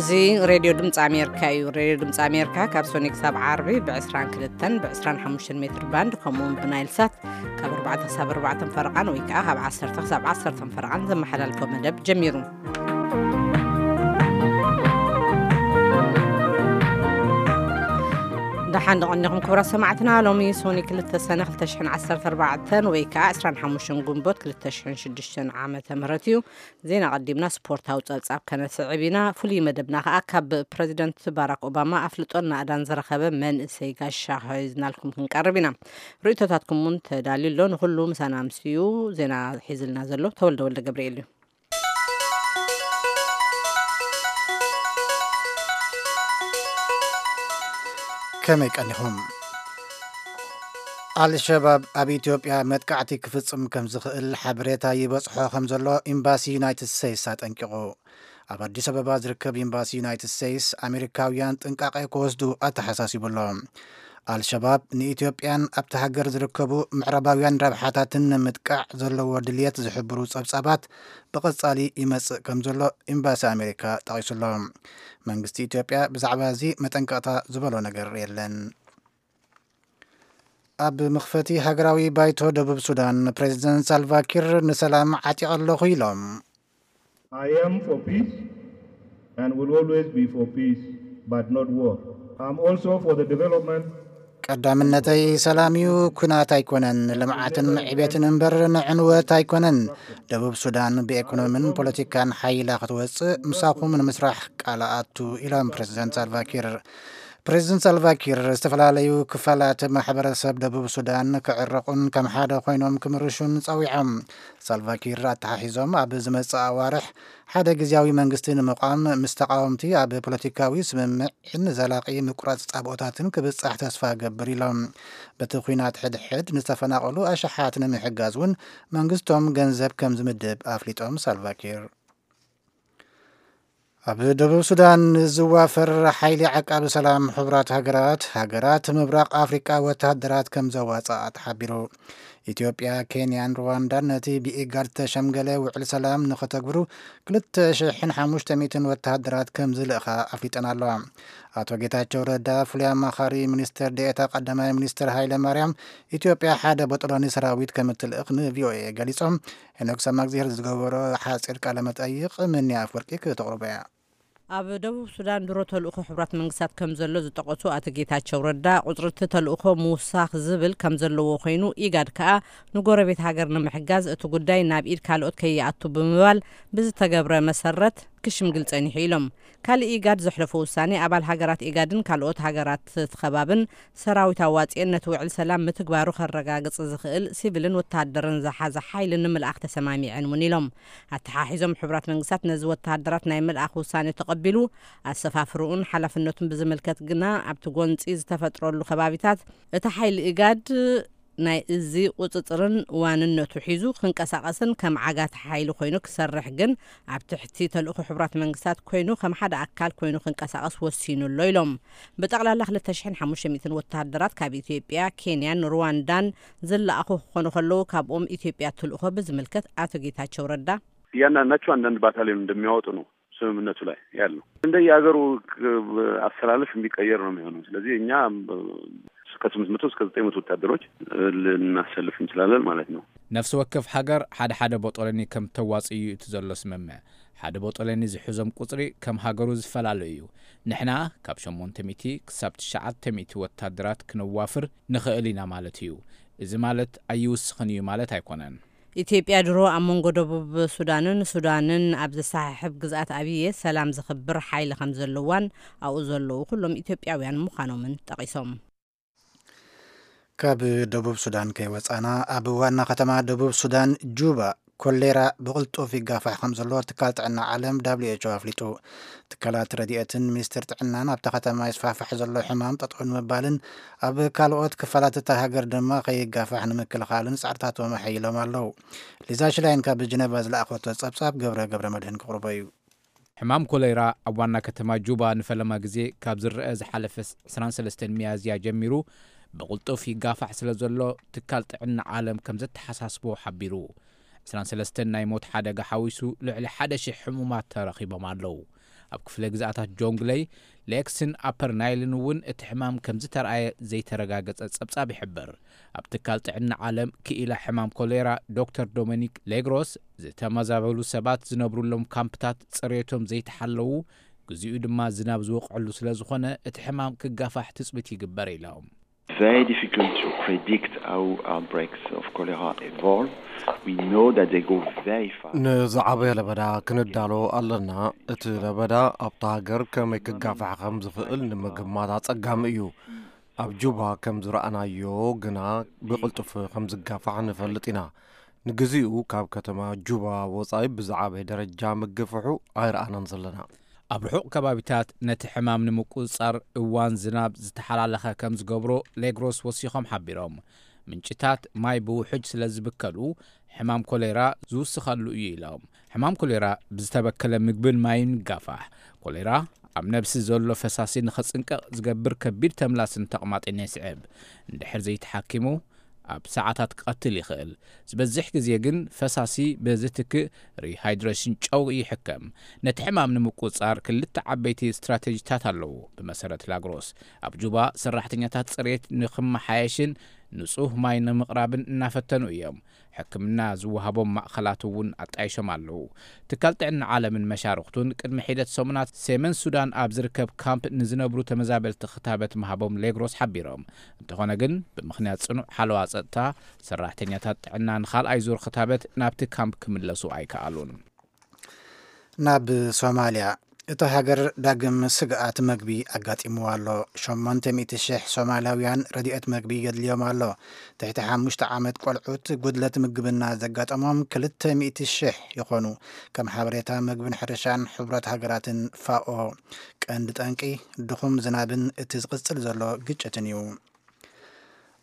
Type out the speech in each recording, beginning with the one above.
እዚ ሬድዮ ድምፂ ኣሜሪካ እዩ። ሬድዮ ድምፂ ኣሜሪካ ካብ ሶኒ ክሳብ ዓርቢ ብ22 ብ25 ሜትር ባንድ፣ ከምኡውን ብናይል ሳት ካብ ኣርባዕተ ክሳብ ኣርባዕተ ፈረቓን ወይ ከዓ ካብ ዓሰርተ ክሳብ ዓሰርተ ፈረቓን ዘመሓላልፎ መደብ ጀሚሩ። ደሓን ደቐኒኹም ክቡራት ሰማዕትና። ሎሚ ሶኒ ክልተ ሰነ ክልተ ሽሕን ዓሰርተ ኣርባዕተን ወይ ከዓ ዕስራን ሓሙሽተን ግንቦት ክልተ ሽሕን ሽዱሽተን ዓመተ ምህረት እዩ። ዜና ቀዲምና ስፖርታዊ ጸብጻብ ከነስዕብ ኢና። ፍሉይ መደብና ከኣ ካብ ፕረዚደንት ባራክ ኦባማ ኣፍልጦን ናእዳን ዝረኸበ መንእሰይ ጋሻ ሒዝናልኩም ክንቀርብ ኢና። ርእይቶታትኩም እውን ተዳልዩ ኣሎ። ንኹሉ ምሳና ኣምስዩ ዜና ሒዝልና ዘሎ ተወልደ ወልደ ገብርኤል እዩ። ከመይ ቀኒኹም? ኣልሸባብ ኣብ ኢትዮጵያ መጥቃዕቲ ክፍጽም ከም ዝኽእል ሓበሬታ ይበጽሖ ከም ዘሎ ኤምባሲ ዩናይትድ ስቴትስ ኣጠንቂቑ። ኣብ ኣዲስ ኣበባ ዝርከብ ኤምባሲ ዩናይትድ ስቴትስ ኣሜሪካውያን ጥንቃቄ ክወስዱ ኣተሓሳሲቡ ኣሎ። ኣልሸባብ ንኢትዮጵያን ኣብቲ ሃገር ዝርከቡ ምዕራባውያን ረብሓታትን ንምጥቃዕ ዘለዎ ድልየት ዝሕብሩ ጸብጻባት ብቐጻሊ ይመጽእ ከም ዘሎ ኤምባሲ ኣሜሪካ ጠቒሱ ኣሎ። መንግስቲ ኢትዮጵያ ብዛዕባ እዚ መጠንቀቕታ ዝበሎ ነገር የለን። ኣብ መኽፈቲ ሃገራዊ ባይቶ ደቡብ ሱዳን፣ ፕሬዚደንት ሳልቫኪር ንሰላም ዓጢቐ ኣለኹ ኢሎም። I am for peace and will always be for peace, but not war. I'm also for the development. ቀዳምነተይ ሰላም እዩ፣ ኩናት ኣይኮነን። ልምዓትን ዕቤትን እምበር ንዕንወት ኣይኮነን። ደቡብ ሱዳን ብኤኮኖምን ፖለቲካን ሓይላ ክትወፅእ ምሳኹም ንምስራሕ ቃል ኣቱ ኢሎም ፕሬዚደንት ሳልቫኪር። ፕሬዚደንት ሳልቫኪር ዝተፈላለዩ ክፋላት ማሕበረሰብ ደቡብ ሱዳን ክዕረቑን ከም ሓደ ኮይኖም ክምርሹን ጸዊዖም። ሳልቫኪር ኣተሓሒዞም ኣብ ዝመጽእ ኣዋርሕ ሓደ ግዝያዊ መንግስቲ ንምቋም ምስ ተቃወምቲ ኣብ ፖለቲካዊ ስምምዕን ዘላቂ ምቁራጽ ጻብኦታትን ክብጻሕ ተስፋ ገብር ኢሎም። በቲ ኲናት ሕድሕድ ንዝተፈናቐሉ ኣሽሓት ንምሕጋዝ እውን መንግስቶም ገንዘብ ከም ዝምድብ ኣፍሊጦም ሳልቫኪር። ኣብ ደቡብ ሱዳን ዝዋፈር ሓይሊ ዓቃቢ ሰላም ሕቡራት ሃገራት፣ ሃገራት ምብራቕ ኣፍሪቃ ወተሃደራት ከም ዘዋፅኣ ተሓቢሩ። ኢትዮጵያ፣ ኬንያን ሩዋንዳን ነቲ ብኢጋድ ዝተሸምገለ ውዕል ሰላም ንኸተግብሩ ክልተ ሽሕን ሓሙሽተ ሚእትን ወተሃደራት ከም ዝልእኻ ኣፍሊጠን ኣለዋ። ኣቶ ጌታቸው ረዳ፣ ፍሉይ ኣማኻሪ ሚኒስትር ዴኤታ ቀዳማይ ሚኒስትር ሃይለ ማርያም፣ ኢትዮጵያ ሓደ ቦጦሎኒ ሰራዊት ከም እትልእኽ ን ቪ ኦ ኤ ገሊጾም። ሄኖክ ሰማእግዜር ዝገበሮ ሓጺር ቃለ መጠይቕ ምንያ ኣፍወርቂ ክተቕርቦ እያ። ኣብ ደቡብ ሱዳን ድሮ ተልእኾ ሕቡራት መንግስታት ከም ዘሎ ዝጠቐሱ ኣቶ ጌታቸው ረዳ፣ ቁጽሪ እቲ ተልእኾ ምውሳኽ ዝብል ከም ዘለዎ ኮይኑ፣ ኢጋድ ከኣ ንጎረቤት ሃገር ንምሕጋዝ እቲ ጉዳይ ናብ ኢድ ካልኦት ከይኣቱ ብምባል ብዝተገብረ መሰረት ክሽምግል ጸኒሑ ኢሎም። ካልእ ኢጋድ ዘሕለፎ ውሳኔ፣ ኣባል ሃገራት ኢጋድን ካልኦት ሃገራት እቲ ከባብን ሰራዊት ኣዋጺኤን ነቲ ውዕል ሰላም ምትግባሩ ከረጋግጽ ዝኽእል ሲቪልን ወተሃደርን ዝሓዘ ሓይሊ ንምልኣኽ ተሰማሚዐን እውን ኢሎም። ኣተሓሒዞም፣ ሕቡራት መንግስታት ነዚ ወተሃደራት ናይ ምልኣኽ ውሳኔ ተቐቢሉ፣ ኣሰፋፍርኡን ሓላፍነቱን ብዝምልከት ግና ኣብቲ ጎንጺ ዝተፈጥረሉ ከባቢታት እቲ ሓይሊ ኢጋድ ናይ እዚ ቁጽጽርን ዋንነቱ ሒዙ ክንቀሳቐስን ከም ዓጋቲ ሓይሊ ኮይኑ ክሰርሕ ግን ኣብ ትሕቲ ተልእኾ ሕቡራት መንግስታት ኮይኑ ከም ሓደ ኣካል ኮይኑ ክንቀሳቐስ ወሲኑ ኣሎ ኢሎም። ብጠቕላላ ክልተ ሽሕን ሓሙሽተ ሚእትን ወተሃደራት ካብ ኢትዮጵያ፣ ኬንያን ሩዋንዳን ዝለኣኹ ክኾኑ ከለዉ፣ ካብኦም ኢትዮጵያ ትልእኾ ብዝምልከት ኣቶ ጌታቸው ረዳ። እያንዳንዳቸው አንዳንድ ባታሊዮን እንደሚያወጡ ነው ስምምነቱ ላይ ያለው። እንደየሀገሩ ክ-፣ አሰላለፍ የሚቀየር ነው የሚሆነው። ስለዚህ እኛ ከ800 እስከ 900 ወታደሮች ልናሰልፍ እንችላለን ማለት ነው። ነፍሲ ወከፍ ሃገር ሓደ ሓደ ቦጦለኒ ከም ተዋጽእ እዩ እቲ ዘሎ ስምምዕ። ሓደ ቦጦለኒ ዝሕዞም ቁጽሪ ከም ሃገሩ ዝፈላለ እዩ። ንሕና ካብ ሸሞንተ ሚእቲ ክሳብ ትሽዓተ ሚእቲ ወታደራት ክነዋፍር ንኽእል ኢና ማለት እዩ። እዚ ማለት ኣይውስኽን እዩ ማለት ኣይኮነን። ኢትዮጵያ ድሮ ኣብ መንጎ ደቡብ ሱዳንን ሱዳንን ኣብ ዘሰሓሕብ ግዝኣት ኣብየ ሰላም ዘኽብር ሓይሊ ከም ዘለዋን ኣብኡ ዘለዉ ኩሎም ኢትዮጵያውያን ምዃኖምን ጠቒሶም። ካብ ደቡብ ሱዳን ከይወጻና፣ ኣብ ዋና ከተማ ደቡብ ሱዳን ጁባ ኮሌራ ብቕልጡፍ ይጋፋሕ ከም ዘሎ ትካል ጥዕና ዓለም ደብሊው ኤች ኦ ኣፍሊጡ። ትካላት ረድኤትን ሚኒስትር ጥዕናን ኣብታ ከተማ ይስፋሕፋሕ ዘሎ ሕማም ጠጠው ንምባልን ኣብ ካልኦት ክፋላት እታ ሃገር ድማ ከይጋፋሕ ንምክልኻልን ጻዕርታቶም ኣሐይሎም ኣለዉ። ሊዛ ሽላይን ካብ ጀነቫ ዝለኣኸቶ ጸብጻብ ገብረ ገብረ መድህን ክቕርቦ እዩ። ሕማም ኮሌራ ኣብ ዋና ከተማ ጁባ ንፈለማ ግዜ ካብ ዝረአ ዝሓለፈ ዕስራን ሰለስተን ሚያዝያ ጀሚሩ ብቕልጡፍ ይጋፋሕ ስለ ዘሎ ትካል ጥዕና ዓለም ከም ዘተሓሳስቦ ሓቢሩ። ዕስራን ሰለስተን ናይ ሞት ሓደጋ ሓዊሱ ልዕሊ ሓደ ሺሕ ሕሙማት ተረኺቦም ኣለዉ። ኣብ ክፍለ ግዝኣታት ጆንግለይ፣ ሌክስን ኣፐር ናይልን እውን እቲ ሕማም ከም ዝተረኣየ ዘይተረጋገጸ ጸብጻብ ይሕብር። ኣብ ትካል ጥዕና ዓለም ክኢላ ሕማም ኮሌራ ዶክተር ዶሚኒክ ሌግሮስ፣ ዝተመዛበሉ ሰባት ዝነብሩሎም ካምፕታት ጽሬቶም ዘይተሓለዉ፣ ግዚኡ ድማ ዝናብ ዝወቕዐሉ ስለ ዝኾነ እቲ ሕማም ክጋፋሕ ትጽቢት ይግበር ኢሎም። Very difficult to predict how outbreaks of cholera evolve. We know that they go very fast. ንዝዓበየ ለበዳ ክንዳሎ ኣለና። እቲ ለበዳ ኣብታ ሃገር ከመይ ክጋፋሕ ከም ዝኽእል ንምግማት ኣጸጋሚ እዩ። ኣብ ጁባ ከም ዝረኣናዮ ግና ብቕልጡፍ ከም ዝጋፋሕ ንፈልጥ ኢና። ንግዚኡ ካብ ከተማ ጁባ ወጻኢ ብዝዓበየ ደረጃ ምግፍሑ ኣይረኣናን ዘለና። ኣብ ርሑቕ ከባቢታት ነቲ ሕማም ንምቁጽጻር እዋን ዝናብ ዝተሓላለኸ ከም ዝገብሮ ሌግሮስ ወሲኾም ሓቢሮም። ምንጭታት ማይ ብውሕጅ ስለ ዝብከሉ ሕማም ኮሌራ ዝውስኸሉ እዩ ኢሎም። ሕማም ኮሌራ ብዝተበከለ ምግብን ማይን ይጋፋሕ። ኮሌራ ኣብ ነብሲ ዘሎ ፈሳሲ ንኸጽንቀቕ ዝገብር ከቢድ ተምላስን ተቕማጥን የስዕብ። እንድሕር ዘይተሓኪሙ ኣብ ሰዓታት ክቐትል ይኽእል። ዝበዝሕ ግዜ ግን ፈሳሲ ብዝትክእ ሪሃይድሬሽን ጨው ይሕከም። ነቲ ሕማም ንምቁጽጻር ክልተ ዓበይቲ ስትራቴጂታት ኣለዉ። ብመሰረት ሌግሮስ፣ ኣብ ጁባ ሰራሕተኛታት ጽሬት ንኽመሓየሽን ንጹህ ማይ ንምቕራብን እናፈተኑ እዮም። ሕክምና ዝወሃቦም ማእኸላት እውን ኣጣይሾም ኣለዉ። ትካል ጥዕና ዓለምን መሻርኽቱን ቅድሚ ሒደት ሰሙናት ሰሜን ሱዳን ኣብ ዝርከብ ካምፕ ንዝነብሩ ተመዛበልቲ ክታበት ምሃቦም ሌግሮስ ሓቢሮም። እንተኾነ ግን ብምኽንያት ጽኑዕ ሓለዋ ጸጥታ ሰራሕተኛታት ጥዕና ንኻልኣይ ዙር ክታበት ናብቲ ካምፕ ክምለሱ ኣይከኣሉን። ናብ ሶማልያ፣ እታ ሃገር ዳግም ስግኣት መግቢ ኣጋጢምዋ ኣሎ። ሸሞንተ ሚእቲ ሽሕ ሶማላውያን ረድኤት መግቢ የድልዮም ኣሎ። ትሕቲ ሓሙሽተ ዓመት ቆልዑት ጉድለት ምግብና ዘጋጠሞም ክልተ ሚእቲ ሽሕ ይኾኑ። ከም ሓበሬታ መግብን ሕርሻን ሕቡራት ሃገራትን ፋኦ፣ ቀንዲ ጠንቂ ድኹም ዝናብን እቲ ዝቕጽል ዘሎ ግጭትን እዩ።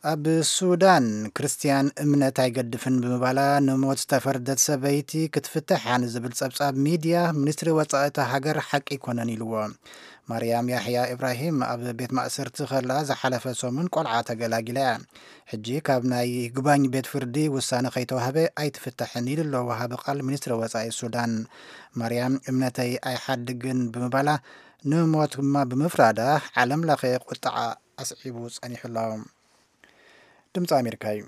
ኣብ ሱዳን፣ ክርስትያን እምነት ኣይገድፍን ብምባላ ንሞት ዝተፈርደት ሰበይቲ ክትፍትሓ ንዝብል ጸብጻብ ሚድያ፣ ሚኒስትሪ ወጻኢ እታ ሃገር ሓቂ ኣይኮነን ኢልዎ። ማርያም ያሕያ ኢብራሂም ኣብ ቤት ማእሰርቲ ከላ ዝሓለፈ ሰሙን ቆልዓ ተገላጊላ እያ። ሕጂ ካብ ናይ ይግባኝ ቤት ፍርዲ ውሳነ ከይተዋህበ ኣይትፍታሕን ኢሉ ኣሎ ወሃቢ ቃል ሚኒስትሪ ወጻኢ ሱዳን። ማርያም እምነተይ ኣይሓድግን ብምባላ ንሞት ድማ ብምፍራዳ ዓለም ለኸ ቁጥዓ ኣስዒቡ ጸኒሑ ኣሎ። ድምፂ ኣሜሪካ እዩ።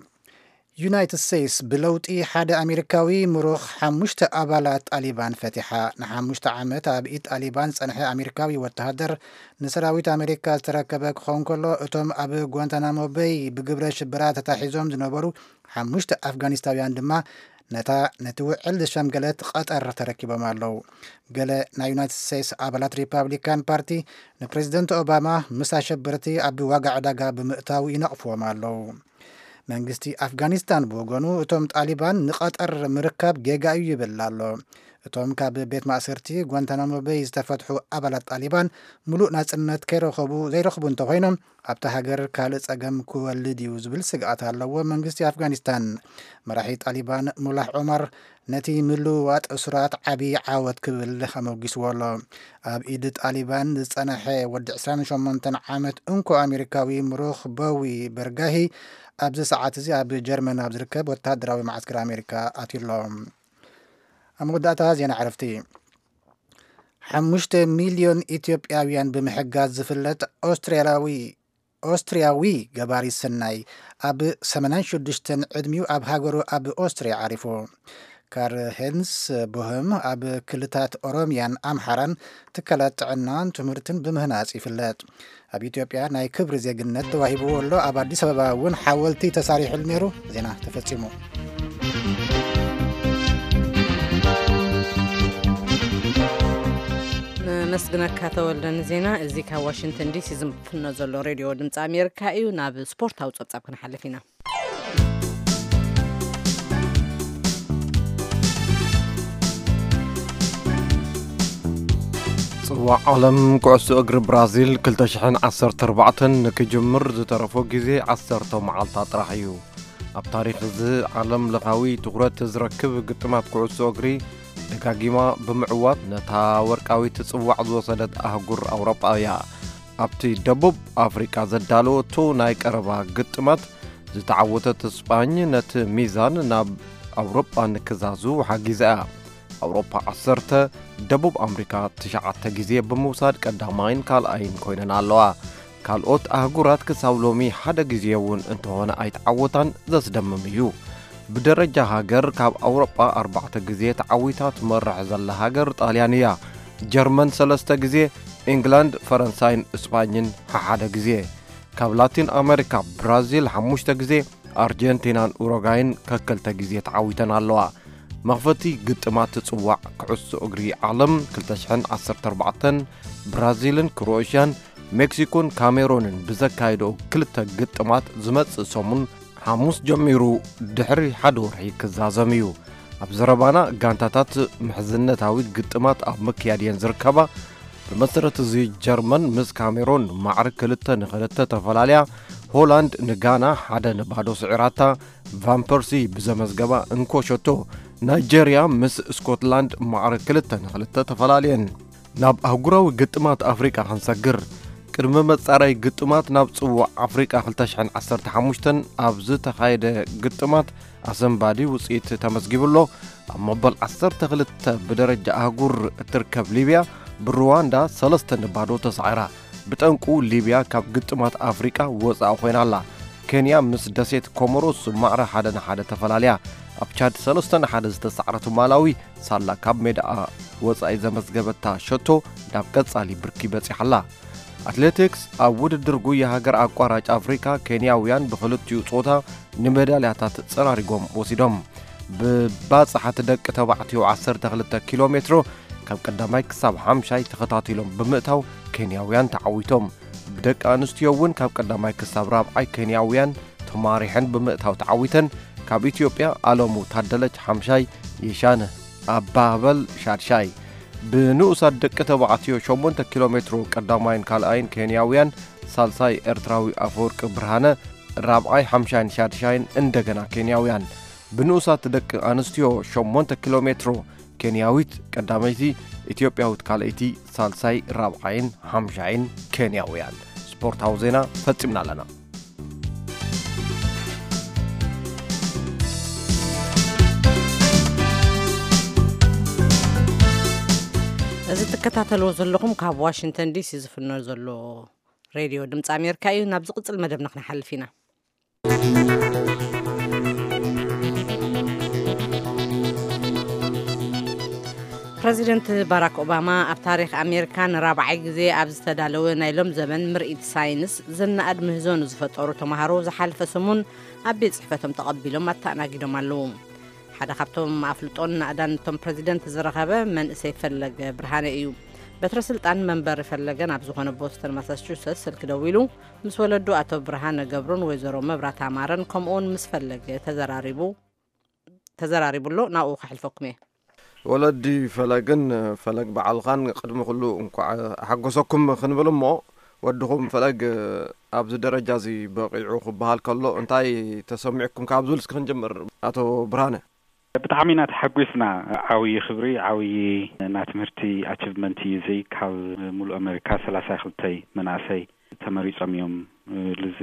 ዩናይትድ ስቴትስ ብለውጢ ሓደ ኣሜሪካዊ ምሩኽ ሓሙሽተ ኣባላት ጣሊባን ፈቲሓ። ንሓሙሽተ ዓመት ኣብ ኢድ ጣሊባን ዝጸንሐ ኣሜሪካዊ ወተሃደር ንሰራዊት ኣሜሪካ ዝተረከበ ክኸውን ከሎ፣ እቶም ኣብ ጓንታናሞ በይ ብግብረ ሽበራ ተታሒዞም ዝነበሩ ሓሙሽተ ኣፍጋኒስታውያን ድማ ነታ ነቲ ውዕል ዝሸምገለት ቀጠር ተረኪቦም ኣለዉ። ገለ ናይ ዩናይትድ ስቴትስ ኣባላት ሪፓብሊካን ፓርቲ ንፕሬዚደንት ኦባማ ምስ ኣሸበርቲ ኣብ ዋጋ ዕዳጋ ብምእታው ይነቕፍዎም ኣለዉ። መንግስቲ ኣፍጋኒስታን ብወገኑ፣ እቶም ጣሊባን ንቐጠር ምርካብ ጌጋ እዩ ይብል ኣሎ። እቶም ካብ ቤት ማእሰርቲ ጓንታናሞ በይ ዝተፈትሑ ኣባላት ጣሊባን ምሉእ ናጽነት ከይረኸቡ ዘይረኽቡ እንተኾይኖም፣ ኣብታ ሃገር ካልእ ጸገም ክወልድ እዩ ዝብል ስግኣት ኣለዎ መንግስቲ ኣፍጋኒስታን። መራሒ ጣሊባን ሙላህ ዑመር ነቲ ምልውዋጥ እሱራት ዓቢ ዓወት ክብል ኣመጒስዎ ኣሎ። ኣብ ኢድ ጣሊባን ዝጸንሐ ወዲ ዕስራን ሸሞንተን ዓመት እንኮ ኣሜሪካዊ ምሩኽ ቦዊ በርጋሂ ኣብዚ ሰዓት እዚ ኣብ ጀርመን ኣብ ዝርከብ ወተሃደራዊ መዓስከር ኣሜሪካ ኣትዩ ኣሎ። ኣብ መወዳእታ ዜና ዕረፍቲ። ሓሙሽተ ሚልዮን ኢትዮጵያውያን ብምሕጋዝ ዝፍለጥ ኦስትርያዊ ኦስትርያዊ ገባሪ ሰናይ ኣብ ሰማንያን ሽዱሽተን ዕድሚኡ ኣብ ሃገሩ ኣብ ኦስትርያ ዓሪፉ። ካር ሄንስ ቦህም ኣብ ክልታት ኦሮምያን ኣምሓራን ትካላት ጥዕናን ትምህርትን ብምህናጽ ይፍለጥ። ኣብ ኢትዮጵያ ናይ ክብሪ ዜግነት ተዋሂብዎ ኣሎ። ኣብ ኣዲስ ኣበባ እውን ሓወልቲ ተሳሪሕሉ ነይሩ። ዜና ተፈጺሙ። ነመስግነካ ተወልደ ንዜና። እዚ ካብ ዋሽንግተን ዲሲ ዝፍኖ ዘሎ ሬድዮ ድምፂ ኣሜሪካ እዩ። ናብ ስፖርታዊ ፀብፃብ ክንሓልፍ ኢና። ጽዋዕ ዓለም ኩዕሶ እግሪ ብራዚል ክልተ ሽሕን ዓሰርተ ኣርባዕተን ንክጅምር ዝተረፎ ግዜ ዓሰርተ መዓልታት ጥራሕ እዩ። ኣብ ታሪኽ እዚ ዓለም ለኻዊ ትኹረት ዝረክብ ግጥማት ኩዕሶ እግሪ ደጋጊማ ብምዕዋት ነታ ወርቃዊት ጽዋዕ ዝወሰደት ኣህጉር ኣውሮጳ እያ። ኣብቲ ደቡብ ኣፍሪቃ ዘዳለወቶ ናይ ቀረባ ግጥማት ዝተዓወተት ስጳኝ ነቲ ሚዛን ናብ ኣውሮጳ ንክዛዙ ሓጊዛ እያ። ኣውሮፓ ዓሰርተ፣ ደቡብ ኣምሪካ ትሽዓተ ግዜ ብምውሳድ ቀዳማይን ካልኣይን ኮይነን ኣለዋ። ካልኦት ኣህጉራት ክሳብ ሎሚ ሓደ ግዜ እውን እንተኾነ ኣይተዓወታን፣ ዘስደምም እዩ። ብደረጃ ሃገር ካብ ኣውሮጳ ኣርባዕተ ግዜ ተዓዊታ ትመርሕ ዘላ ሃገር ጣልያን እያ። ጀርመን ሰለስተ ግዜ፣ ኢንግላንድ፣ ፈረንሳይን እስጳኝን ሓሓደ ግዜ። ካብ ላቲን ኣሜሪካ ብራዚል ሓሙሽተ ግዜ፣ ኣርጀንቲናን ኡሩጋይን ከክልተ ግዜ ተዓዊተን ኣለዋ። መኽፈቲ ግጥማት ጽዋዕ ኩዕሶ እግሪ ዓለም ክልተ ሽሕን ዓሰርተ ኣርባዕተን ብራዚልን ክሮኤሽያን፣ ሜክሲኮን ካሜሮንን ብዘካየደኦ ክልተ ግጥማት ዝመጽእ ሰሙን ሓሙስ ጀሚሩ ድሕሪ ሓደ ወርሒ ክዛዘም እዩ። ኣብ ዘረባና ጋንታታት ምሕዝነታዊ ግጥማት ኣብ ምክያድ እየን ዝርከባ። ብመሰረት እዚ ጀርመን ምስ ካሜሮን ማዕረ ክልተ ንክልተ ተፈላለያ፣ ሆላንድ ንጋና ሓደ ንባዶ ስዒራታ፣ ቫን ፐርሲ ብዘመዝገባ እንኮ ሸቶ ናይጀርያ ምስ ስኮትላንድ ማዕረ ክልተ ንክልተ ተፈላለየን። ናብ ኣህጉራዊ ግጥማት ኣፍሪቃ ክንሰግር፣ ቅድሚ መጻረይ ግጥማት ናብ ጽዋዕ ኣፍሪቃ ክልተ ሽሕን ዓሰርተ ሓሙሽተን ኣብ ዝተኻየደ ግጥማት ኣሰንባዲ ውጽኢት ተመዝጊቡ ኣሎ። ኣብ መበል ዓሰርተ ክልተ ብደረጃ ኣህጉር እትርከብ ሊብያ ብሩዋንዳ ሰለስተ ንባዶ ተሳዒራ። ብጠንቁ ሊብያ ካብ ግጥማት ኣፍሪቃ ወጻኢ ኮይና ኣላ። ኬንያ ምስ ደሴት ኮሞሮስ ማዕረ ሓደ ንሓደ ተፈላለያ። ኣብ ቻድ ሰለስተ ንሓደ ዝተሳዕረቱ ማላዊ ሳላ ካብ ሜዳኣ ወጻኢ ዘመዝገበታ ሸቶ ናብ ቀጻሊ ብርኪ በጺሓ ኣላ። ኣትሌቲክስ፣ ኣብ ውድድር ጉያ ሃገር ኣቋራጭ ኣፍሪካ ኬንያውያን ብክልቲኡ ጾታ ንሜዳልያታት ጸራሪጎም ወሲዶም። ብባጽሓት ደቂ ተባዕትዮ ዓሰርተ ክልተ ኪሎ ሜትሮ ካብ ቀዳማይ ክሳብ ሓምሻይ ተኸታቲሎም ብምእታው ኬንያውያን ተዓዊቶም። ብደቂ ኣንስትዮ እውን ካብ ቀዳማይ ክሳብ ራብዓይ ኬንያውያን ተማሪሐን ብምእታው ተዓዊተን። ካብ ኢትዮጵያ ኣለሙ ታደለች ሓምሻይ፣ የሻነ ኣባህበል ሻድሻይ። ብንኡሳት ደቂ ተባዕትዮ ሸሞንተ ኪሎ ሜትሮ ቀዳማይን ካልኣይን ኬንያውያን፣ ሳልሳይ ኤርትራዊ ኣፈወርቂ ብርሃነ፣ ራብዓይ፣ ሓምሻይን ሻድሻይን እንደገና ኬንያውያን። ብንኡሳት ደቂ ኣንስትዮ ሸሞንተ ኪሎ ሜትሮ ኬንያዊት ቀዳመይቲ፣ ኢትዮጵያዊት ካልኣይቲ፣ ሳልሳይ፣ ራብዓይን ሓምሻይን ኬንያውያን። ስፖርታዊ ዜና ፈጺምና ኣለና። እዚ ትከታተልዎ ዘለኹም ካብ ዋሽንግተን ዲሲ ዝፍኖ ዘሎ ሬድዮ ድምፂ ኣሜሪካ እዩ። ናብ ዝቕጽል መደብና ክንሓልፍ ኢና። ፕረዚደንት ባራክ ኦባማ ኣብ ታሪኽ ኣሜሪካ ንራብዓይ ግዜ ኣብ ዝተዳለወ ናይ ሎም ዘበን ምርኢት ሳይንስ ዝነኣድ ምህዞ ንዝፈጠሩ ተምሃሮ ዝሓለፈ ሰሙን ኣብ ቤት ጽሕፈቶም ተቐቢሎም ኣተኣናጊዶም ኣለዉ። ሓደ ካብቶም ኣፍልጦን ናእዳን እቶም ፕረዚደንት ዝረኸበ መንእሰይ ፈለገ ብርሃነ እዩ። በትረ ስልጣን መንበሪ ፈለገ ናብ ዝኾነ ቦስተን ማሳቹሰትስ ስልኪ ደዊሉ ምስ ወለዱ ኣቶ ብርሃነ ገብሩን ወይዘሮ መብራት ኣማረን ከምኡውን ምስ ፈለገ ተዘራሪቡ ተዘራሪቡ ኣሎ። ናብኡ ከሕልፈኩም እየ። ወለዲ ፈለግን ፈለግ በዓልኻን ቅድሚ ኩሉ እንኳዕ ኣሓጎሰኩም ክንብል እሞ፣ ወድኹም ፈለግ ኣብዚ ደረጃ እዚ በቒዑ ክበሃል ከሎ እንታይ ተሰሚዕኩም? ካብ ዝብል እስኪ ክንጅምር፣ ኣቶ ብርሃነ። ብጣዕሚ ኢና ተሓጒስና። ዓብዪ ክብሪ፣ ዓብዪ ናይ ትምህርቲ ኣቺቭመንት እዩ እዚ። ካብ ሙሉእ ኣሜሪካ ሰላሳ ክልተ መናእሰይ ተመሪጾም እዮም፣ እ፣ ልዚ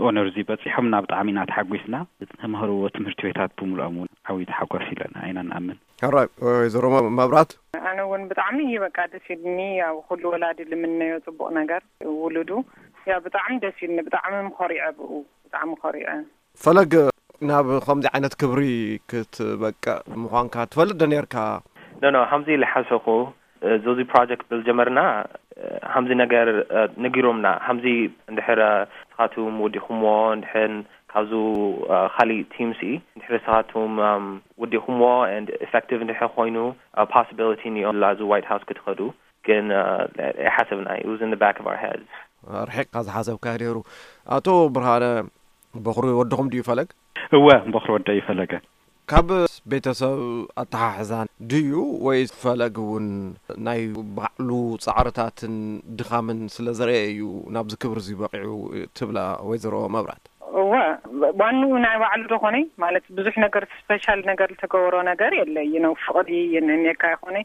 ኦነር እዚ በጺሖም እና ብጣዕሚ ኢና ተሓጒስና። ተምሃርዎ ትምህርቲ ቤታት ብምሉኦም እውን ዓብዪ ተሓጓስ ኢለና ኢና ንኣምን። ሕራይ፣ ወይዘሮ መ-፣ መብራት። ኣነ እውን ብጣዕሚ እዩ በቃ ደስ ኢልኒ። ያው ኩሉ ወላዲ ልምነዮ ጽቡቕ ነገር ውሉዱ። ያው ብጣዕሚ ደስ ኢልኒ፣ ብጣዕሚ ምኾሪዐ ብኡ፣ ብጣዕሚ ኮሪዐ። ፈለግ፣ ናብ ከምዚ ዓይነት ክብሪ ክትበቅዕ ምዃንካ ትፈልጥ ዶ ኔርካ? ኖ፣ ኖ፣ ሃምዚ ኢለ ሓሰኹ። እዚ ፕሮጀክት ብዝጀመርና፣ ሃምዚ ነገር ነጊሮምና፣ ሃምዚ እንድሕር ንስኻትኩም ወዲኹምዎ፣ እንድሕር ካብዚ ካሊእ ቲም ሲ እንድሕር ንስኻትኩም ወዲኹምዎ and effective እንድሕር ኮይኑ፣ possibility እኒኦ ላዚ ዋይት ሃውስ ክትኸዱ። ግን ኣይሓሰብና፣ it was in the back of our heads። ርሒቕካ ዝሓሰብካ ነይሩ። ኣቶ ብርሃነ፣ በኹሪ ወድኹም ድዩ ፈለግ? እወ፣ በኹሪ ወደይ ፈለገ። ካብ ቤተሰብ ኣተሓሕዛ ድዩ ወይስ ፈለግ እውን ናይ ባዕሉ ጻዕርታትን ድኻምን ስለ ዘርአ እዩ ናብዚ ክብሪ እዚ በቒዑ ትብላ ወይዘሮ መብራት? እወ፣ ዋንኡ ናይ ባዕሉ ዶ ኾነ ማለት ብዙሕ ነገር ስፔሻል ነገር ዝተገበሮ ነገር የለ። You know፣ ፍቕሪ የነንየካ ይኾነ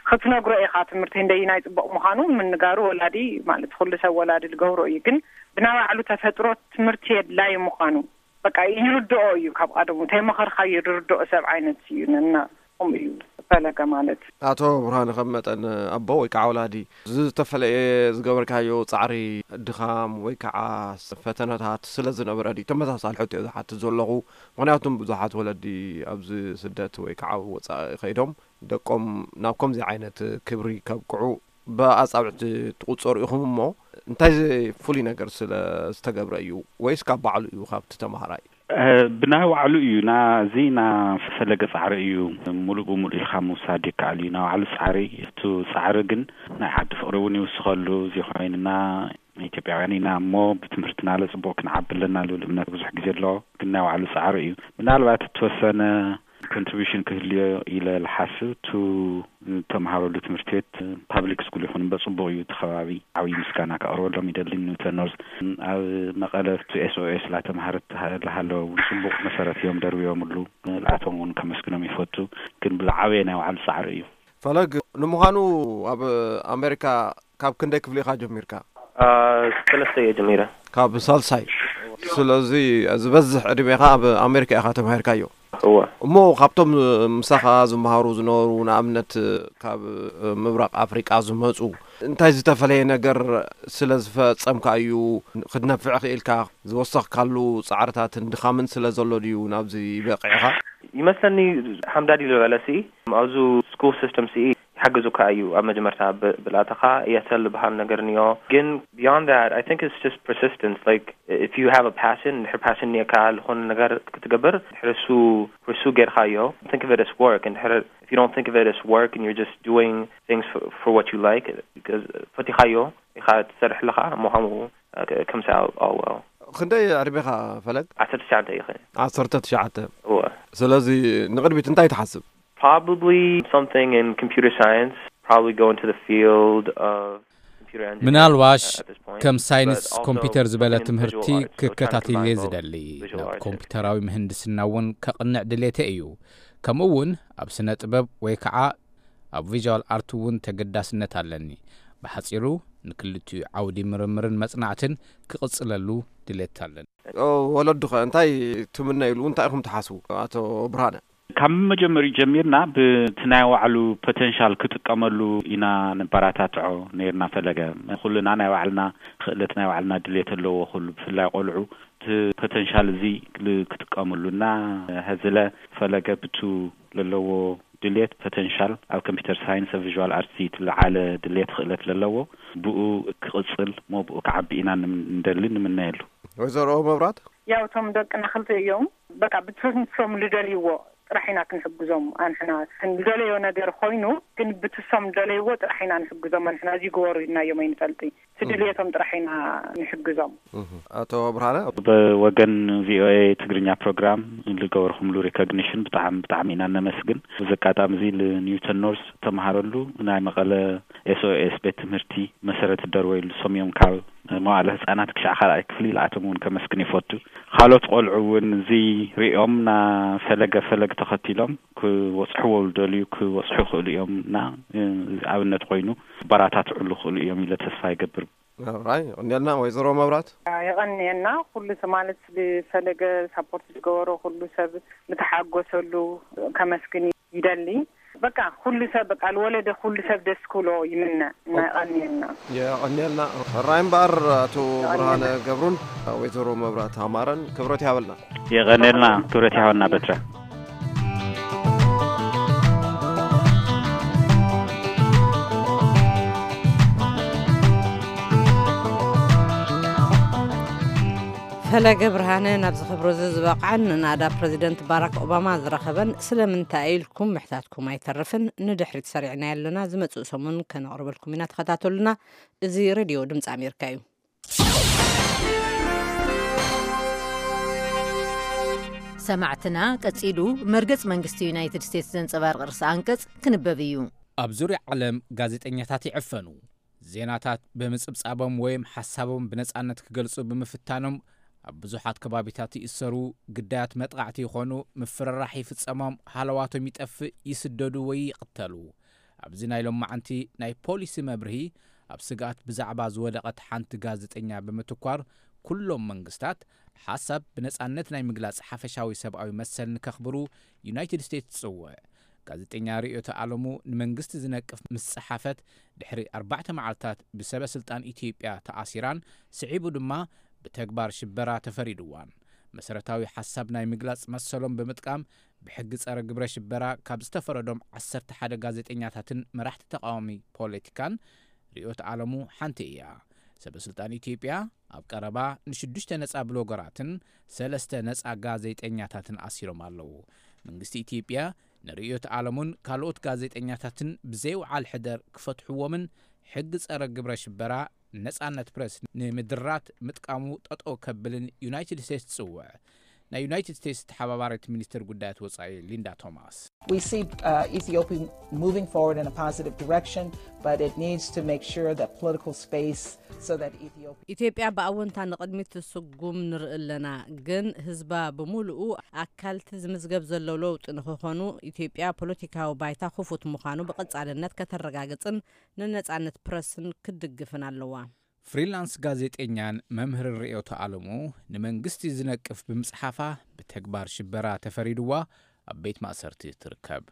ክትነግሮ ኢኻ ትምህርቲ እንደይ ናይ ጽቡቕ ምዃኑ ምንጋሩ ወላዲ ማለት ኩሉ ሰብ ወላዲ ዝገብሮ እዩ። ግን ብናይ ባዕሉ ተፈጥሮ ትምህርቲ የድላይ ምዃኑ በቃ ይርድኦ እዩ። ካብ ቀደሙ ተይመኸርካ ይርድኦ ሰብ ዓይነት እዩ ነና። ከምኡ እዩ። ፈለገ ማለት። ኣቶ ብርሃነ፣ ከም መጠን ኣቦ ወይ ከዓ ወላዲ፣ ዝተፈለየ ዝገበርካዮ ፃዕሪ፣ ድኻም ወይ ከዓ ፈተነታት ስለ ዝነበረ ድዩ? ተመሳሳሊ ሕቶ እየ ዝሓትት ዘለኹ። ምክንያቱም ብዙሓት ወለዲ ኣብዚ ስደት ወይ ከዓ ወፃኢ ከይዶም ደቆም ናብ ከምዚ ዓይነት ክብሪ ከብቅዑ ብኣፃብዕቲ ትቑፀሩ ኢኹም እሞ፣ እንታይ ፍሉይ ነገር ስለ ዝተገብረ እዩ? ወይስ ካብ ባዕሉ እዩ ካብቲ ተምሃራይ? ብናይ ባዕሉ እዩ። ናዚ ና ፈለገ ፃዕሪ እዩ። ሙሉእ ብሙሉእ ኢልካ ምውሳድ ይከኣል እዩ። ናይ ባዕሉ ፃዕሪ እዩ። እቱ ፃዕሪ ግን ናይ ዓዲ ፍቅሪ እውን ይውስኸሉ። እዚ ኮይንና ኢትዮጵያውያን ኢና እሞ ብትምህርትና ለፅቡቅ ክንዓቢ ኣለና ልብል እምነት ብዙሕ ግዜ ኣሎ። ግን ናይ ባዕሉ ፃዕሪ እዩ። ምናልባት እተወሰነ ኮንትሪቢሽን ክህልዮ ኢለ ልሓስብ። ቱ ተምሃረሉ ትምህርቲ ቤት ፓብሊክ ስኩል ይኹን እምበር ፅቡቅ እዩ። እቲ ከባቢ ዓብዪ ምስጋና ከቅርበሎም ይደሊ። ኒውተን ኖርዝ ኣብ መቐለ ቱ ኤስኦኤስ ላተምሃረት ልሃለወ እውን ፅቡቅ መሰረት እዮም ደርብዮምሉ። ልኣቶም እውን ከመስግኖም ይፈቱ። ግን ብልዓበየ ናይ ባዕሉ ፃዕሪ እዩ። ፈለግ፣ ንምዃኑ ኣብ ኣሜሪካ ካብ ክንደይ ክፍሊ ኢኻ ጀሚርካ? ሰለስተ እየ ጀሚረ። ካብ ሳልሳይ። ስለዚ ዝበዝሕ ዕድሜኻ ኣብ ኣሜሪካ ኢኻ ተማሂርካዮ። እወ። እሞ ካብቶም ምሳኻ ዝመሃሩ ዝነበሩ፣ ንኣብነት ካብ ምብራቕ ኣፍሪቃ ዝመፁ፣ እንታይ ዝተፈለየ ነገር ስለ ዝፈጸምካ እዩ ክትነፍዕ ክኢልካ? ዝወሰኽካሉ ፃዕርታትን ድኻምን ስለ ዘሎ ድዩ ናብዚ በቂዕኻ? ይመስለኒ ሓምዳድ ኢሉ በለሲ ኣብዚ ስኩል ሲስተም ሲ ይሓግዙካ እዩ። ኣብ መጀመርታ ብ- ብላተኻ የሰል ዝበሃል ነገር ንዮ። ግን beyond that, I think it's just persistence. Like, if you have a passion, እንድሕር ፓሽን ኒካ ዝኾነ ነገር ክትገብር፣ እንድሕር እሱ ርሱ ጌርካዮ፣ think of it as work. እንድሕር if you don't think of it as work and you're just doing things for, for what you like, because ፈቲኻዮ ኢኻ ትሰርሕ ኣለኻ፣ እሞ ከምኡ ከምሳ ኣወ ክንደይ ዕድሜኻ ፈለግ? ዓሰርተ ትሽዓተ ኢኸ። ዓሰርተ ትሽዓተ። እወ። ስለዚ ንቕድሚት እንታይ ትሓስብ? Probably something in computer science, probably go into the field of computer engineering. ምናልባሽ At this point, ከም ሳይንስ but also ኮምፒውተር ዝበለ something in ትምህርቲ visual arts. We're trying to ክከታተል እየ combine both ዝደሊ። visual ናብ arts and ኮምፒውተራዊ ምህንድስና እውን ከቕንዕ ድሌተ እዩ። ከምኡ እውን ኣብ ስነ ጥበብ ወይ ከዓ ኣብ ቪዥዋል ኣርት እውን ተገዳስነት ኣለኒ። ብሓፂሩ ንክልቲኡ ዓውዲ ምርምርን መፅናዕትን ክቕፅለሉ ድሌት ኣለኒ። ወለዱኸ እንታይ ትምነይሉ? እንታይ ኢኹም ትሓስቡ? ኣቶ ብርሃነ። ካብ መጀመሪኡ ጀሚርና ብቲ ናይ ባዕሉ ፖተንሻል ክጥቀመሉ ኢና ንበራታትዖ ነይርና። ፈለገ ኩልና ናይ ባዕልና ክእለት ናይ ባዕልና ድሌት ኣለዎ። ኩሉ ብፍላይ ቆልዑ እቲ ፖተንሻል እዚ ክጥቀምሉ እና ሀዝለ ፈለገ ብቱ ለለዎ ድሌት ፖተንሻል ኣብ ኮምፒውተር ሳይንስ ኣብ ቪዥዋል ኣርትስ እቲ ለዓለ ድሌት ክእለት ለለዎ ብኡ ክቕፅል ሞ ብኡ ክዓቢ ኢና ንደሊ ንምነየሉ። ወይዘሮ መብራት። ያው እቶም ደቅና ክልተ እዮም። በቃ ብትንሶም ልደልይዎ ጥራሕ ኢና ክንሕግዞም። ኣንሕና ክንደለዮ ነገር ኮይኑ ግን ብትሶም ደለይዎ ጥራሕ ኢና ንሕግዞም። ኣንሕና እዚ ግበሩ ኢልናዮም ኣይንፈልጢ። ስድልየቶም ጥራሕ ኢና ንሕግዞም። ኣቶ ብርሃነ። በወገን ቪኦኤ ትግርኛ ፕሮግራም ልገበርኩምሉ ሪኮግኒሽን ብጣዕሚ ብጣዕሚ ኢና ነመስግን። እዚ ኣጋጣሚ እዚ ልኒውተን ኖርስ ተምሃረሉ ናይ መቐለ ኤስኦኤስ ቤት ትምህርቲ መሰረት ደርወይሉ ሰሚዮም ካብ መዋእለ ህፃናት ክሻዕ ካልኣይ ክፍሊ ልኣቶም እውን ከመስግን ይፈቱ። ካልኦት ቆልዑ እውን እዚ ሪኦም ና ፈለገ ፈለግ ተኸቲሎም ክወፅሕዎ ልደልዩ ክወፅሑ ይኽእሉ እዮም እና ኣብነት ኮይኑ ክበራታትዕሉ ይኽእሉ እዮም ኢለ ተስፋ ይገብር። ራይ የቐንየልና ወይዘሮ መብራት። የቐንየና ኩሉ ሰብ ማለት ብፈለገ ሳፖርት ዝገበሮ ኩሉ ሰብ ምተሓጎሰሉ ከመስግን ይደሊ። በቃ ኩሉ ሰብ በቃ ልወለደ ኩሉ ሰብ ደስ ክብሎ ይምነ እና የቐንየልና። የቐንየልና። ራይ እምበኣር ኣቶ ብርሃነ ገብሩን ወይዘሮ መብራት ኣማረን ክብረት ይሃበልና። የቐንየልና ክብረት ይሃበልና በትረ። ፈለገ ብርሃነ ናብዚ ክብሪ እዚ ዝበቕዐን ንናዳ ፕረዚደንት ባራክ ኦባማ ዝረኸበን ስለምንታይ ኢልኩም ምሕታትኩም ኣይተርፍን። ንድሕሪት ሰሪዕና ኣለና። ዝመጽእ ሰሙን ከነቕርበልኩም ኢና። ተኸታተሉና። እዚ ሬድዮ ድምፂ ኣሜሪካ እዩ። ሰማዕትና ቀጺሉ መርገጽ መንግስቲ ዩናይትድ ስቴትስ ዘንጸባርቕ ርእሰ ኣንቀጽ ክንበብ እዩ። ኣብ ዙርያ ዓለም ጋዜጠኛታት ይዕፈኑ። ዜናታት ብምጽብጻቦም ወይም ሓሳቦም ብነጻነት ክገልጹ ብምፍታኖም ኣብ ብዙሓት ከባቢታት ይእሰሩ፣ ግዳያት መጥቓዕቲ ይኾኑ፣ ምፍርራሕ ይፍጸሞም፣ ሃለዋቶም ይጠፍእ፣ ይስደዱ ወይ ይቕተሉ። ኣብዚ ናይ ሎማዓንቲ ናይ ፖሊሲ መብርሂ ኣብ ስግኣት ብዛዕባ ዝወደቐት ሓንቲ ጋዜጠኛ ብምትኳር ኩሎም መንግስታት ሓሳብ ብነጻነት ናይ ምግላጽ ሓፈሻዊ ሰብኣዊ መሰል ንከኽብሩ ዩናይትድ ስቴትስ ትጽውዕ። ጋዜጠኛ ርእዮት ኣለሙ ንመንግስቲ ዝነቅፍ ምስ ጸሓፈት፣ ድሕሪ ኣርባዕተ መዓልታት ብሰበ ስልጣን ኢትዮጵያ ተኣሲራን ስዒቡ ድማ ብተግባር ሽበራ ተፈሪድዋን። መሰረታዊ ሓሳብ ናይ ምግላጽ መሰሎም ብምጥቃም ብሕጊ ጸረ ግብረ ሽበራ ካብ ዝተፈረዶም ዓሰርተ ሓደ ጋዜጠኛታትን መራሕቲ ተቃዋሚ ፖለቲካን ርእዮት ኣለሙ ሓንቲ እያ። ሰበ ስልጣን ኢትዮጵያ ኣብ ቀረባ ንሽዱሽተ ነጻ ብሎገራትን ሰለስተ ነጻ ጋዜጠኛታትን ኣሲሮም ኣለዉ። መንግስቲ ኢትዮጵያ ንርእዮት ኣለሙን ካልኦት ጋዜጠኛታትን ብዘይውዓል ሕደር ክፈትሕዎምን ሕጊ ጸረ ግብረ ሽበራ ነጻነት ፕረስ ንምድራት ምጥቃሙ ጠጠው ከብልን ዩናይትድ ስቴትስ ትጽውዕ። ናይ ዩናይትድ ስቴትስ ተሓባባሪት ሚኒስትር ጉዳያት ወጻኢ ሊንዳ ቶማስ። We see uh, Ethiopia moving forward in a positive direction, but it needs to make sure that political space so that Ethiopia ኢትዮጵያ ብኣወንታ ንቕድሚት ትስጉም ንርኢ ኣለና፣ ግን ህዝባ ብምሉኡ ኣካልቲ ዝምዝገብ ዘሎ ለውጢ ንክኾኑ ኢትዮጵያ ፖለቲካዊ ባይታ ክፉት ምዃኑ ብቐጻልነት ከተረጋግጽን ንነጻነት ፕረስን ክትድግፍን ኣለዋ። ፍሪላንስ ጋዜጠኛን መምህርን ርእዮት ኣለሙ ንመንግስቲ ዝነቅፍ ብምጽሓፋ ብተግባር ሽበራ ተፈሪድዋ ኣብ ቤት ማእሰርቲ ትርከብ።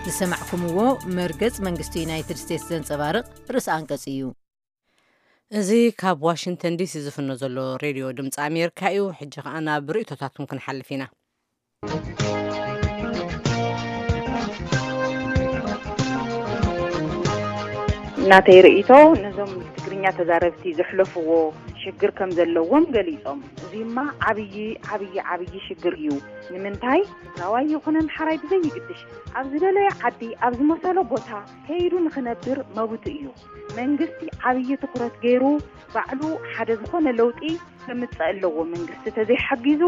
ዝሰማዕኩምዎ መርገጽ መንግስቲ ዩናይትድ ስቴትስ ዘንጸባርቕ ርእሲ ኣንቀጽ እዩ። እዚ ካብ ዋሽንግተን ዲሲ ዝፍኖ ዘሎ ሬድዮ ድምፂ ኣሜሪካ እዩ። ሕጂ ከኣ ናብ ርእቶታትኩም ክንሓልፍ ኢና። ናተይ ርእይቶ ነዞም ትግርኛ ተዛረብቲ ዘሕለፍዎ ሽግር ከም ዘለዎም ገሊጾም። እዚማ ዓብዪ ዓብዪ ዓብዪ ሽግር እዩ። ንምንታይ ትግራዋይ ይኹን ኣምሓራይ ብዘይግድሽ ኣብ ዝደለዮ ዓዲ ኣብ ዝመሰሎ ቦታ ከይዱ ንኽነብር መብቱ እዩ። መንግስቲ ዓብዪ ትኹረት ገይሩ ባዕሉ ሓደ ዝኾነ ለውጢ ከምጽእ ኣለዎ። መንግስቲ ተዘይሓጊዙ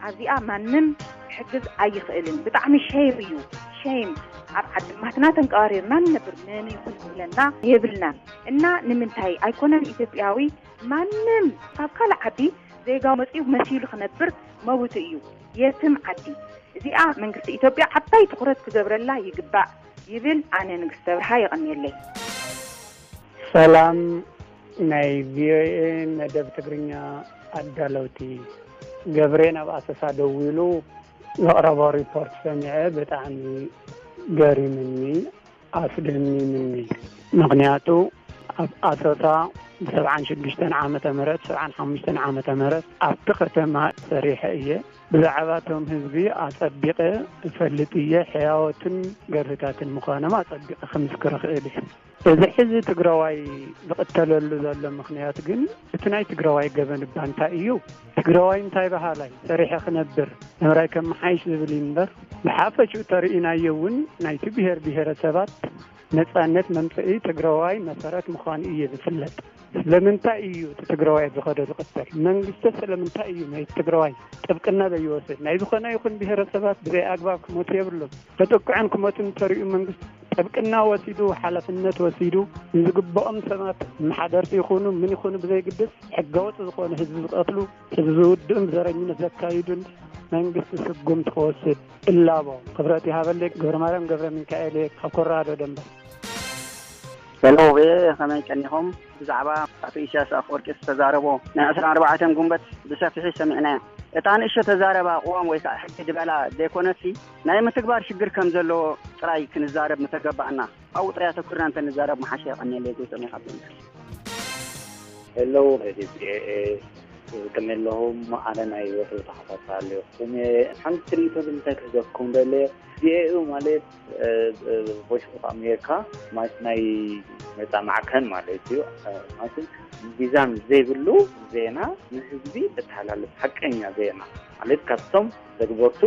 ኣብዚኣ ማንም ክሕግዝ ኣይኽእልን። ብጣዕሚ ሸይም እዩ ሸይም። ኣብ ዓድማትና ተንቀባሪርና ንነብር መን ይኹን ዝብለና የብልናን። እና ንምንታይ ኣይኮነን ኢትዮጵያዊ ማንም ካብ ካልእ ዓዲ ዜጋ መጺኡ መሲሉ ክነብር መብቱ እዩ። የትም ዓዲ እዚኣ መንግስቲ ኢትዮጵያ ዓባይ ትኹረት ክገብረላ ይግባእ ይብል። ኣነ ንግስተ ብርሃ የቐንየለይ። ሰላም ናይ ቪኦኤ መደብ ትግርኛ ኣዳለውቲ፣ ገብሬ ናብ ኣሰሳ ደዊሉ ዘቕረቦ ሪፖርት ሰሚዐ ብጣዕሚ ገሪምኒ ኣስደሚምኒ። ምኽንያቱ ኣብ ኣሰሳ ብሰብዓን ሽዱሽተን ዓመተ ምህረት ሰብዓን ሓሙሽተን ዓመተ ምህረት ኣብቲ ከተማ ሰሪሐ እየ። ብዛዕባ እቶም ህዝቢ ኣጸቢቐ እፈልጥ እየ። ሕያዎትን ገርህታትን ምዃኖም ኣጸቢቐ ክምስክር እኽእል እየ። እዚ ሕዚ ትግራዋይ ዝቕተለሉ ዘሎ ምኽንያት ግን እቲ ናይ ትግራዋይ ገበን እባ እንታይ እዩ? ትግራዋይ እንታይ በሃላይ ሰሪሐ ክነብር ነብራይ ከመሓይሽ ዝብል እዩ እምበር ብሓፈሽኡ ተርእናዮ እውን ናይቲ ብሄር ብሄረሰባት ነፃነት መምፅኢ ትግራዋይ መሰረት ምዃኑ እዩ ዝፍለጥ። ስለምንታይ እዩ እቲ ትግራዋይ ኣብ ዝኸዶ ዝቕተል? መንግስቲ ስለምንታይ እዩ ናይ ትግራዋይ ጥብቅና ዘይወስድ? ናይ ዝኾነ ይኹን ብሄረሰባት ብዘይ ኣግባብ ክሞቱ የብሎም። ተጠቅዖም ክሞቱ እንተሪኡ መንግስቲ ጥብቅና ወሲዱ ሓላፍነት ወሲዱ ንዝግብኦም ሰባት መሓደርቲ ይኹኑ ምን ይኹኑ ብዘይግድስ ሕገወጥ ዝኾነ ህዝቢ ዝቐትሉ ህዝቢ ዝውድኡን ዘረኝነት ዘካይዱን መንግስቲ ስጉምቲ ክወስድ እላቦ። ክብረት ይሃበለይ። ገብረማርያም ገብረሚካኤል እየ ካብ ኮሎራዶ ደንበር። ሄሎ ቪኦኤ ከመይ ቀኒኹም? ብዛዕባ ኣቶ ኢሳያስ ኣፈወርቂ ዝተዛረቦ ናይ ዕስራን ኣርባዕተን ጉንበት ብሰፊሑ ሰሚዕናዮ። እታ ንእሽቶ ተዛረባ ቅዋም ወይ ከዓ ሕጊ ዝበላ ዘይኮነሲ ናይ ምትግባር ሽግር ከም ዘለዎ ጥራይ ክንዛረብ ምተገባእና። ኣብኡ ጥራይ ኣተኩርና እንተንዛረብ ምሓሸ። የቐንየለይ። ጎይቶም ኢኻ። ሄሎ ሬድዮ ቪኦኤ ከመይ ኣለኹም? ኣነ ናይ ወትሩ ተኸታታሊ እየ። ሓንቲ ርእይቶ ግን እንታይ ክህበኩም ደልየ፣ ቪኦኤ ማለት ቮይስ ኦፍ ኣሜሪካ ማለት ናይ ነፃ ማዕከን ማለት እዩ። ማለት ሚዛን ዘይብሉ ዜና ንህዝቢ እተሓላልፍ ሓቀኛ ዜና ማለት ካብቶም ተግበርቱ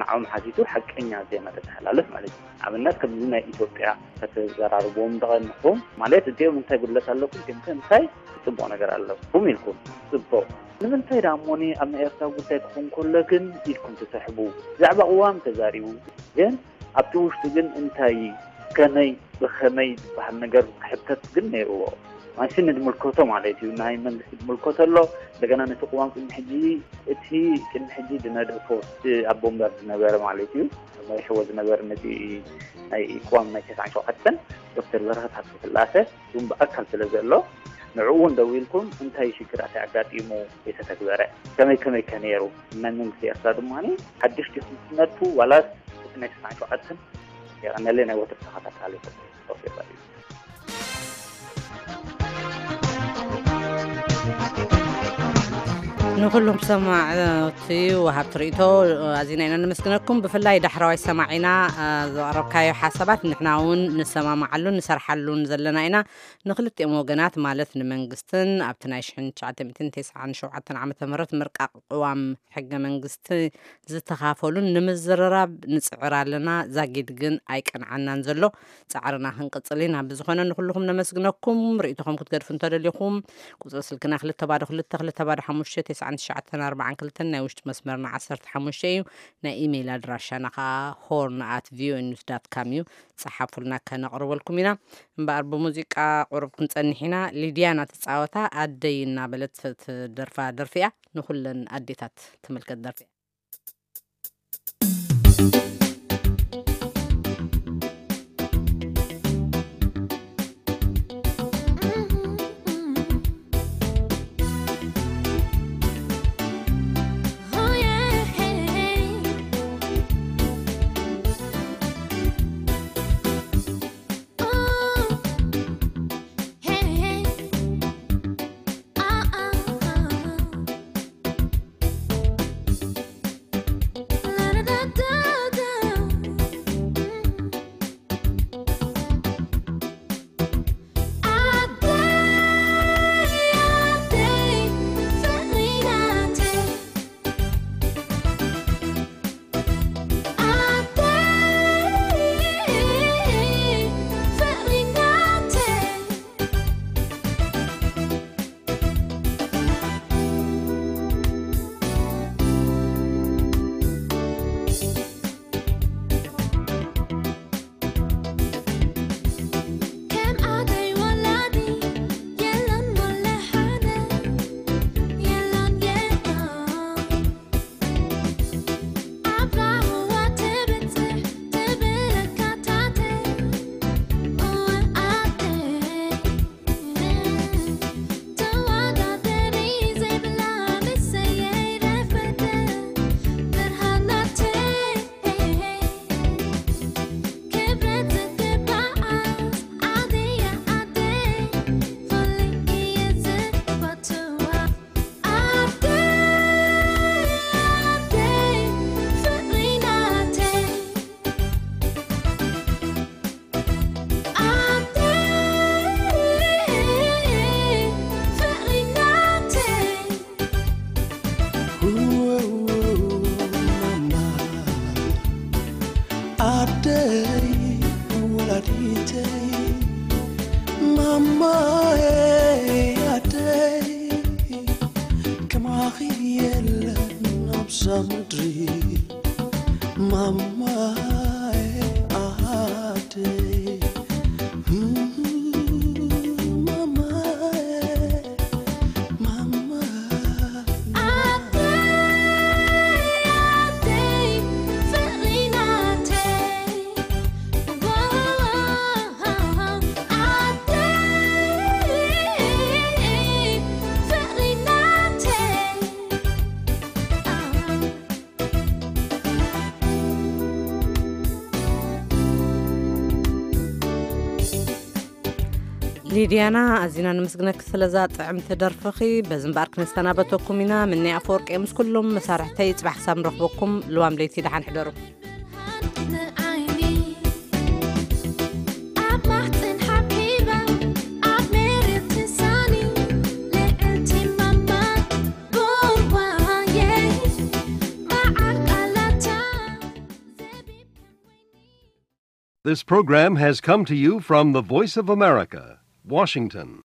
ንዕኦም ሓቲቱ ሓቀኛ ዜና ተተሓላልፍ ማለት እዩ። ኣብነት ከምዚ ናይ ኢትዮጵያ ከተዘራርብዎም ዝቐንኹም ማለት እዚኦም እንታይ ጉድለት ኣለኩም፣ እዚኦም ከ እንታይ ጽቡቕ ነገር ኣለኩም ኢልኩም ጽቡቕ። ንምንታይ ደኣ እሞኒ ኣብ ናይ ኤርትራ ጉዳይ ክኾን ከሎ ግን ኢልኩም ትስሕቡ? ብዛዕባ ቅዋም ተዛሪቡ ግን ኣብቲ ውሽጡ ግን እንታይ ከመይ ብኸመይ ዝበሃል ነገር ክሕተት ግን ነይርዎ። ማለትሲ ንድምልከቶ ማለት እዩ፣ ናይ መንግስቲ ድምልከቶ ኣሎ። እንደገና ነቲ ቅዋም ቅድሚ ሕጂ እቲ ቅድሚ ሕጂ ዝነደፎ እቲ ኣቦ ወንበር ዝነበረ ማለት እዩ መሪሕዎ ዝነበረ ነቲ ናይ ቅዋም ናይ ተስዓን ሸውዓተን ዶክተር በረኸት ሃብተስላሴ እውን ብኣካል ስለ ዘሎ ንዕኡ እውን ደዊልኩም እንታይ ሽግራት ኣጋጢሙ የተተግበረ፣ ከመይ ከመይ ከ ነይሩ፣ መን መንግስቲ ኤርትራ ድማ ሓድሽ ዲኹም ትነድፉ ዋላስ እቲ ናይ ስሳን ሸውዓተን? የቐነለይ። ናይ ወትሩ ተኸታታሊ። ንኹሉም ሰማዕቲ ወሃብቲ ርእቶ ኣዚና ኢና ነመስግነኩም። ብፍላይ ዳሕረዋይ ሰማዒና ዘቕረብካዮ ሓሳባት ንሕና እውን ንሰማማዓሉን ንሰርሓሉን ዘለና ኢና። ንክልቲኦም ወገናት ማለት ንመንግስትን ኣብቲ ናይ ሽሕን ትሽዓተ ሚእትን ተስዓን ሸውዓተን ዓመተ ምህረት ምርቃቕ ቅዋም ሕገ መንግስቲ ዝተኻፈሉን ንምዝርራብ ንጽዕር ኣለና። ዛጊድ ግን ኣይቀንዓናን ዘሎ። ጻዕርና ክንቅጽል ኢና። ብዝኾነ ንኹልኹም ነመስግነኩም። ርእይቶኹም ክትገድፉ እንተደሊኹም ቁጽሪ ስልክና ክልተ ባዶ ክልተ ክልተ ባዶ ሓሙሽተ ተስዓን ትሽዓተን ኣርባዓን ክልተን ናይ ውሽጢ መስመርና ዓሰርተ ሓሙሽተ እዩ። ናይ ኢሜይል ኣድራሻና ኸኣ ሆርን ኣት ቪኦኤ ኒውስ ዳት ካም እዩ። ጸሓፉልና፣ ከነቕርበልኩም ኢና። እምበኣር ብሙዚቃ ቁሩብ ክንጸንሕ ኢና። ሊድያና ትጻወታ ኣደይ እናበለት ትደርፋ ደርፊ እያ። ንኹለን ኣዴታት ትምልከት ደርፊ እያ። ሊድያና፣ ኣዚና ንምስግነኪ ስለዛ ጥዕምቲ ደርፍኺ። በዚ እምበኣር ክነሰናበተኩም ኢና። ምኒ ኣፈወርቂ ምስ ኩሎም መሳርሕተይ፣ ጽባሕ ክሳብ ንረኽበኩም ልዋም ለይቲ ደሓን ሕደሩ። This program has come to you from the Voice of America, Washington.